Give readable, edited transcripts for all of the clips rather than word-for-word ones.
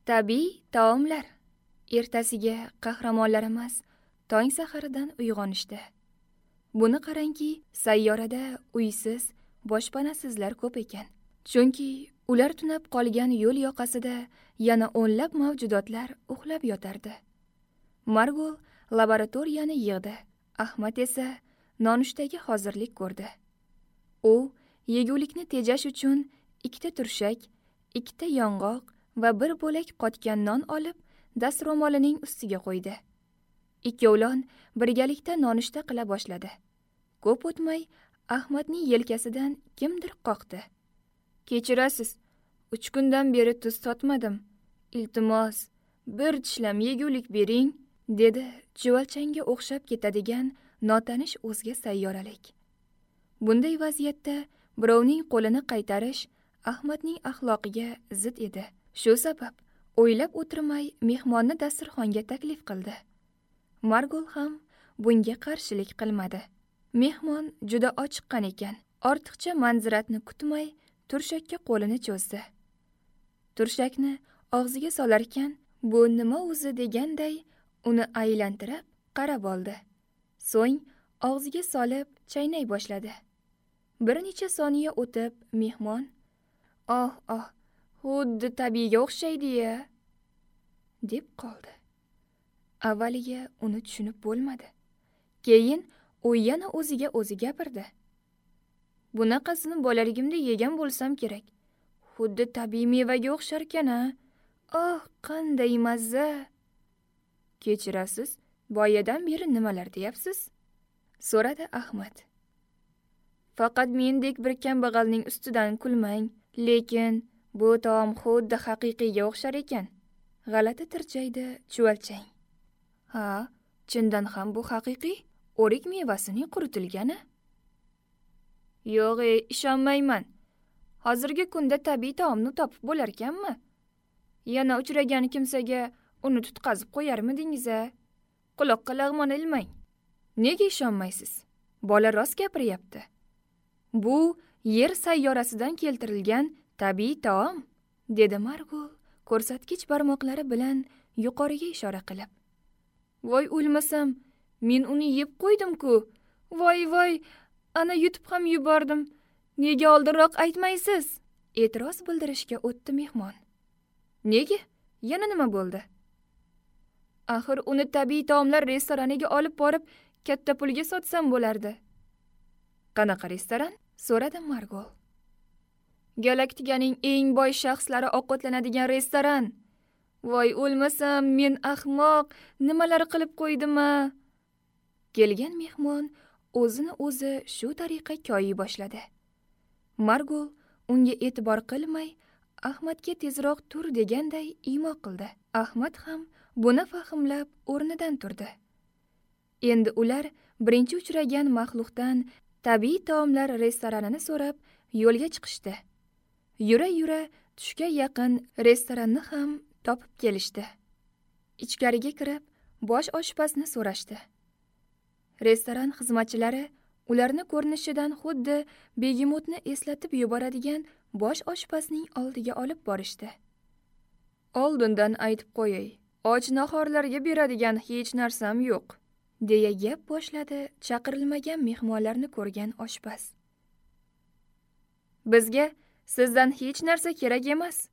Tabiiy taomlar. Ertasiga qahramonlarimiz tong saharidan uyg'onishdi. Buni qarangki, sayyorada uysiz, boshpanasizlar ko'p ekan. Chunki ular tunab qolgan yo'l yoqasida yana o'nlab mavjudotlar uxlab yotardi. Margul laboratoriyani yig'di. Ahmad esa nonushtaga hozirlik ko'rdi. U yegulikni tejash uchun 2 ta turshak, 2 ta yong'oq va bir bo'lak qotgan non olib, dastro'molining ustiga qo'ydi. Ikkovlon birgalikda nonushta qila boshladi. Ko'p o'tmay Ahmadning yelkasidan kimdir qoqdi. Kechirasiz, 3 kundan beri tuz totmadim. Iltimos, bir tishlam yegulik bering, dedi chuvalchangga o'xshab ketadigan notanish o'zga sayyoralik. Bunday vaziyatda birovning qo'lini qaytarish Ahmadning axloqiga zid edi. Shu sabab o'ylab o'tirmay mehmonni dasturxonga taklif qildi. Margul ham bunga qarshilik qilmadi. Mehmon juda ochiqqan ekan. Ortiqcha manziratni kutmay turshakka qo'lini cho'zdi. Turshakni og'ziga solarkan, bu nima o'zi deganday uni aylantirib qarab oldi. So'ng og'ziga solib chaynay boshladi. Bir necha soniya o'tib mehmon, "Oh, oh, xuddi tabiiyga o'xshaydi-ya", deb qoldi. Avvaliga uni tushunib bo'lmadi. Keyin u yana o'ziga o'zi gapirdi. Bunaqasini bolaligimda yegan bo'lsam kerak. Xuddi tabiiy mevaga o'xsharkan-a. Oh, qanday mazza! Kechirasiz, boyadan beri nimalar deyapsiz? So'radi Ahmad. Faqat mendek bir kambag'alning ustidan kulmang, lekin bu taom xuddi haqiqiyga o'xshar ekan. G'alati tirjaydi chuvalchang. Ha, chindan ham bu haqiqiy o'rik mevasining quritilgani. Yo'q, ishonmayman. Hozirgi kunda tabiiy taomni topib bo'larkanmi? Yana uchragan kimsaga uni tutqazib qo'yarmidingiz-a? Quloqqa lag'mon ilmang. Nega ishonmaysiz? Bola rost gapiryapti. Bu yer sayyorasidan keltirilgan tabiiy taom, dedi Margul ko'rsatkich barmoqlari bilan yuqoriga ishora qilib. Voy o'lmasam, men uni yeb qo'ydim-ku. Voy voy, ana yutib ham yubordim. Nega oldinroq aytmaysiz? E'tiroz bildirishga o'tdi mehmon. Nega? Yana nima bo'ldi? Axir uni tabiiy taomlar restoraniga olib borib, katta pulga sotsam bo'lardi. Qanaqa restoran? So'radi Margul. Galaktikaning eng boy shaxslari ovqatlanadigan restoran. Voy o'lmasam, men ahmoq, nimalar qilib qo'ydim-a? Kelgan mehmon o'zini o'zi shu tariqa koyiy boshladi. Margul unga e'tibor qilmay, Ahmadga tezroq tur deganday imo qildi. Ahmad ham buni fahmlab o'rnidan turdi. Endi ular birinchi uchragan maxluqdan tabiiy taomlar restoranini so'rab yo'lga chiqishdi. Yura-yura tushga yaqin restoranni ham topib kelishdi. Ichkariga kirib, bosh oshpazni so'rashdi. Restoran xizmatchilari ularni ko'rinishidan xuddi begemotni eslatib yuboradigan bosh oshpazning oldiga olib borishdi. Oldindan aytib qo'yay, och nahorlarga beradigan hech narsam yo'q, deya gap boshladi chaqirilmagan mehmonlarni ko'rgan oshpaz. Bizga sizdan hech narsa kerak emas,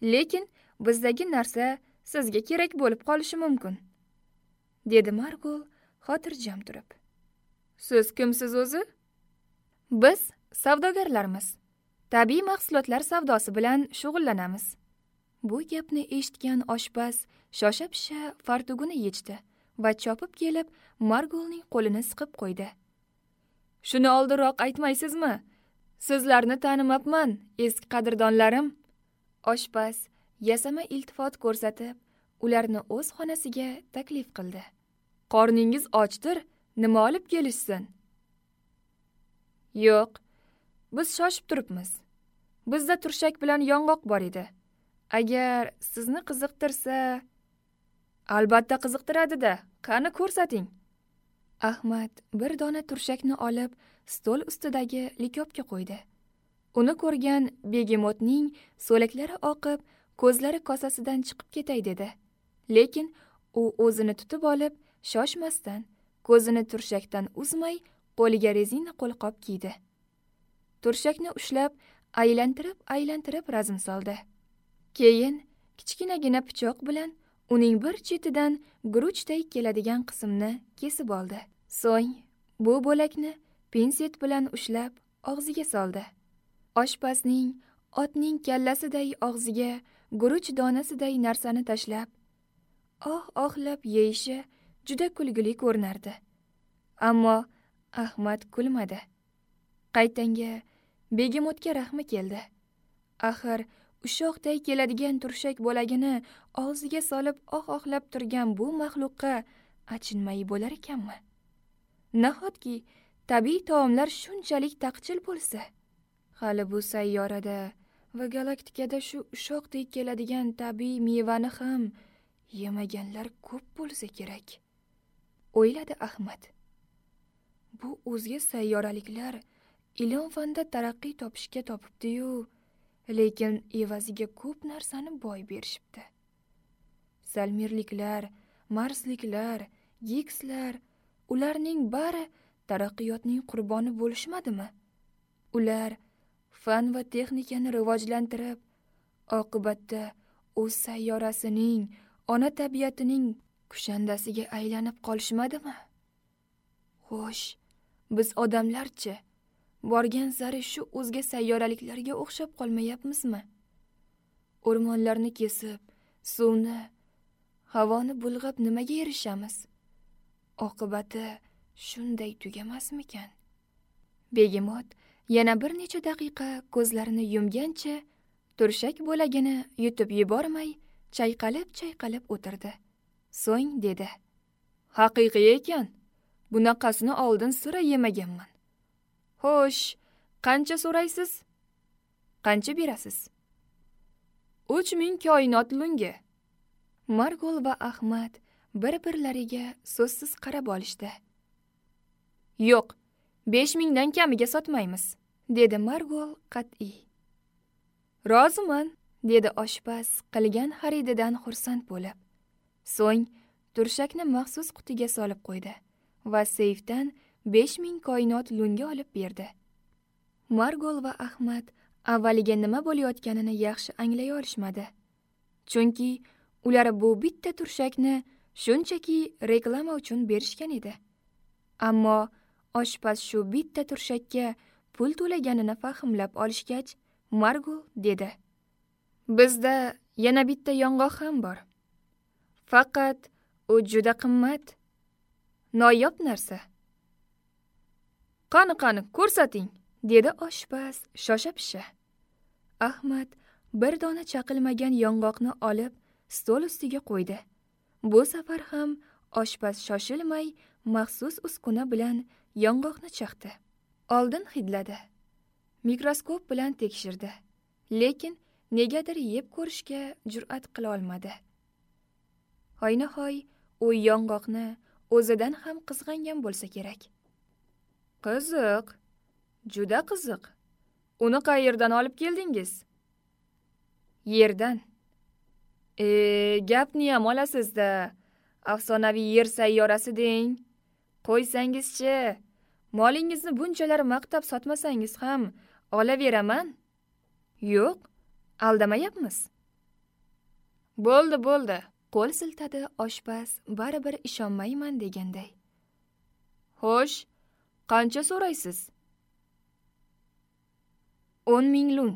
lekin bizdagi narsa sizga kerak bo'lib qolishi mumkin, dedi Margul xotirjam turib. Siz kimsiz o'zi? Biz savdogarlarmiz. Tabiiy mahsulotlar savdosi bilan shug'ullanamiz. Bu gapni eshitgan oshpaz shosha-pisha fartugini yechdi va chopib kelib Margulning qo'lini siqib qo'ydi. Shuni oldinroq aytmaysizmi? Sizlarni tanimabman, eski qadrdonlarim. Oshpaz yasama iltifot ko'rsatib, ularni o'z xonasiga taklif qildi. Qorningiz ochdir, nima olib kelishsin? Yo'q, biz shoshib turibmiz. Bizda turshak bilan yong'oq bor edi. Agar sizni qiziqtirsa, albatta qiziqtiradi-da. Qani ko'rsating. Ahmad bir dona turshakni olib, stol ustidagi likopga qo'ydi. Uni ko'rgan begemotning so'laklari oqib, Ko'zlari kosasidan chiqib ketay dedi. Lekin u o'zini tutib olib, shoshmasdan, ko'zini turshakdan uzmay, qo'liga rezina qo'lqop kiydi. Turshakni ushlab, aylantirib-aylantirib razm soldi. Keyin kichkinagina pichoq bilan uning bir chetidan guruchday keladigan qismni kesib oldi. So'ng bu bo'lakni pinset bilan ushlab og'ziga soldi. Oshpazning otning kallasiday og'ziga guruch donasiday narsani tashlab, oh-ohlab yeyishi juda kulgili ko'rinardi. Ammo Ahmad kulmadi. Qaytanga begemotga rahmi keldi. Axir ushoqday keladigan turshak bo'lagini og'ziga solib oh-ohlab turgan bu maxluqqa achinmay bo'lar ekanmi? Nahotki tabiiy taomlar shunchalik taqchil bo'lsa? Hali bu sayyorada va galaktikada shu ushoqdek keladigan tabiiy mevani ham yemaganlar ko'p bo'lsa kerak, o'yladi Ahmad. Bu o'zga sayyoraliklar ilm-fanda taraqqiy topishga topibdi-yu, lekin evaziga ko'p narsani boy berishibdi. Salmirliklar, marsliklar, gikslar, ularning bari taraqqiyotning qurboni bo'lishmadimi? Ular fan va texnikani rivojlantirib, oqibatda o'z sayyorasining, ona tabiatining kushandasiga aylanib qolishmadimi? Xo'sh, biz odamlarchi borgan sari shu o'zga sayyoraliklarga o'xshab qolmayapmizmi? O'rmonlarni kesib, suvni, havoni bulg'ab nimaga erishamiz? Oqibati shunday tugamasmikan? Begemot yana bir necha daqiqa ko'zlarini yumgancha turshak bo'lagini yutib yubormay chayqalib-chayqalib o'tirdi. So'ng dedi: "Haqiqiy ekan. Bunaqasini oldin sira yemaganman. Xo'sh, qancha so'raysiz? Qancha berasiz?" 3000 koinot lungi. Margol va Ahmad bir-birlariga so'zsiz qarab olishdi. "Yo'q, 5000 dan kamiga sotmaymiz", dedi Margol qat'iy. "Roziman", dedi oshpaz qilgan xarididan xursand bo'lib. So'ng turshakni maxsus qutiga solib qo'ydi va seyfdan 5000 koinot lunga olib berdi. Margol va Ahmad avvaliga nima bo'layotganini yaxshi anglay olishmadi. Chunki ular bu bitta turshakni shunchaki reklama uchun berishgan edi. Ammo oshpaz shu bitta turshakka pul to'laganini fahmlab olishgach, Margol dedi: "Bizda yana bitta yong'oq ham bor. Faqat u juda qimmat, noyob narsa. Qani-qani, ko'rsating", dedi oshpaz shosha-pisha. Ahmad bir dona chaqilmagan yong'oqni olib stol ustiga qo'ydi. Bu safar ham oshpaz shoshilmay maxsus uskuna bilan yong'oqni chaqdi. Oldin hidladi. Mikroskop bilan tekshirdi. Lekin negadir yeb ko'rishga jur'at qila olmadi. Hoynahoy u yong'oqni o'zidan ham qizg'angan bo'lsa kerak. "Qiziq, juda qiziq. Uni qayerdan olib keldingiz?" "Yerdan." Gapni ham olasiz-da. Afsonaviy yer sayyorasi deng. Qo'ysangizchi, molingizni bunchalar maqtab sotmasangiz ham olaveraman." "Yo'q, aldamayapmiz." "Bo'ldi, bo'ldi", qo'l siltadi oshpaz baribir ishonmayman deganday. "Xo'sh, qancha so'raysiz?" 10,000 lun",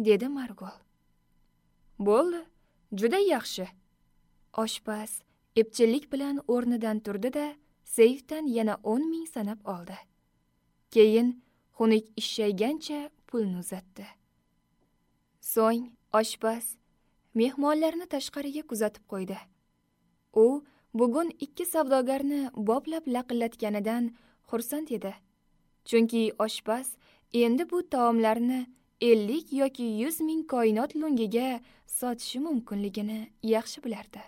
dedi Margol. "Bo'ldi, juda yaxshi." Oshpaz epchillik bilan o'rnidan turdi-da, seyfdan yana 10,000 sanab oldi. Keyin xunuk ishshaygancha pulni uzatdi. So'ng oshpaz mehmonlarni tashqariga kuzatib qo'ydi. U bugun 2 savdogarni boplab laqillatganidan xursand edi. Chunki oshpaz endi bu taomlarni 50 yoki 100 ming koinot lungiga sotishi mumkinligini yaxshi bilardi.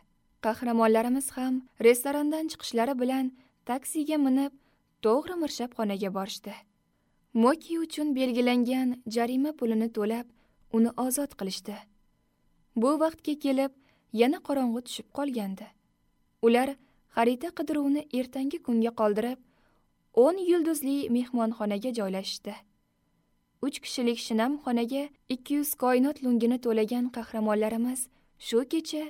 Qahramonlarimiz ham restorandan chiqishlari bilan taksiga minib, to'g'ri mirshabxonaga borishdi. Moki uchun belgilangan jarima pulini to'lab, uni ozod qilishdi. Bu vaqtga kelib yana qorong'u tushib qolgandi. Ular xarita qidiruvni ertangi kunga qoldirib, 10 yulduzli mehmonxonaga joylashdi. 3 kishilik shinam xonaga 200 koinot lungini to'lagan qahramonlarimiz shu kecha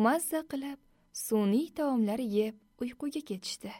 mazza qilib sun'iy taomlar yeb uyquga ketishdi.